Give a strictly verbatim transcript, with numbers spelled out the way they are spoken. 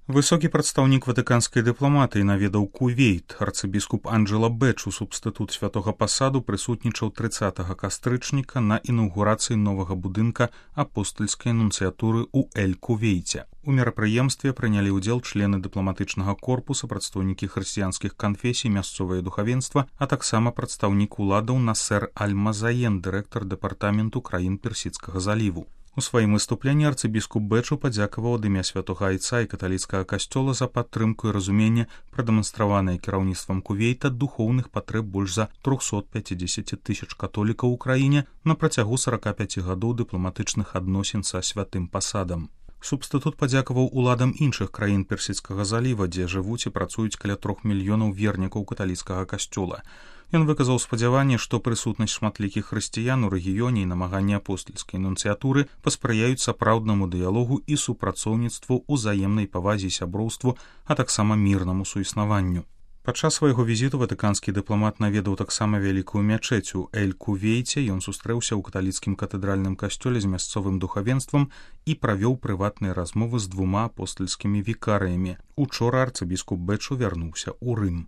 Высокі прадстаўнік ватыканскай дыпламатыі наведаў Кувейт. Арцыбіскуп Анджела Бэчу, субстытут святога пасаду, прысутнічаў трыццатага кастрычніка на інаўгурацыі новага будынка апостальскай нунцыятуры ў Эль-Кувейце. У мерапрыемстве прынялі ўдзел члены дыпламатычнага корпуса, прадстаўнікі хрысціянскіх канфесій, мясцовае духавенства, а таксама прадстаўнік уладаў Насер Аль-Мазаен, дырэктар дэпартаменту краін Персідскага заліву. У сваім выступленні арцыбіскуп Бэчу падзякаваў ад імя святога айца і каталіцкага касцёла за падтрымку і разуменне, прадэманстраванае кіраўніцтвам Кувейта духоўных патрэб больш за трохсот пяцідзесяці тысяч католікаў у краіне на працягу сарака пяці гадоў дыпламатычных адносін са святым пасадам. Субстытут падзякаваў уладам іншых краін Персідскага заліва, дзе жывуць і працуюць каля трох мільёнаў вернікаў каталіцкага касцёла. Ён выказаў спадзяванне, што прысутнасць шматлікіх хрысціян у рэгіёне і намаганні апостальскай нунцыятуры паспрыяюць сапраўднаму дыялогу і супрацоўніцтву, узаемнай павазе і сяброўству, а таксама мірнаму суіснаванню. Падчас свайго візіту ватыканскі дыпламат наведаў таксама вялікую мячэць у Эль-Кувейце. Ён сустрэўся ў каталіцкім катэдральным касцёле з мясцовым духавенствам і правёў прыватныя размовы з двума апостальскімі вікарыямі. Учора арцыбіскуп Бэчу вярнуўся ў Рым.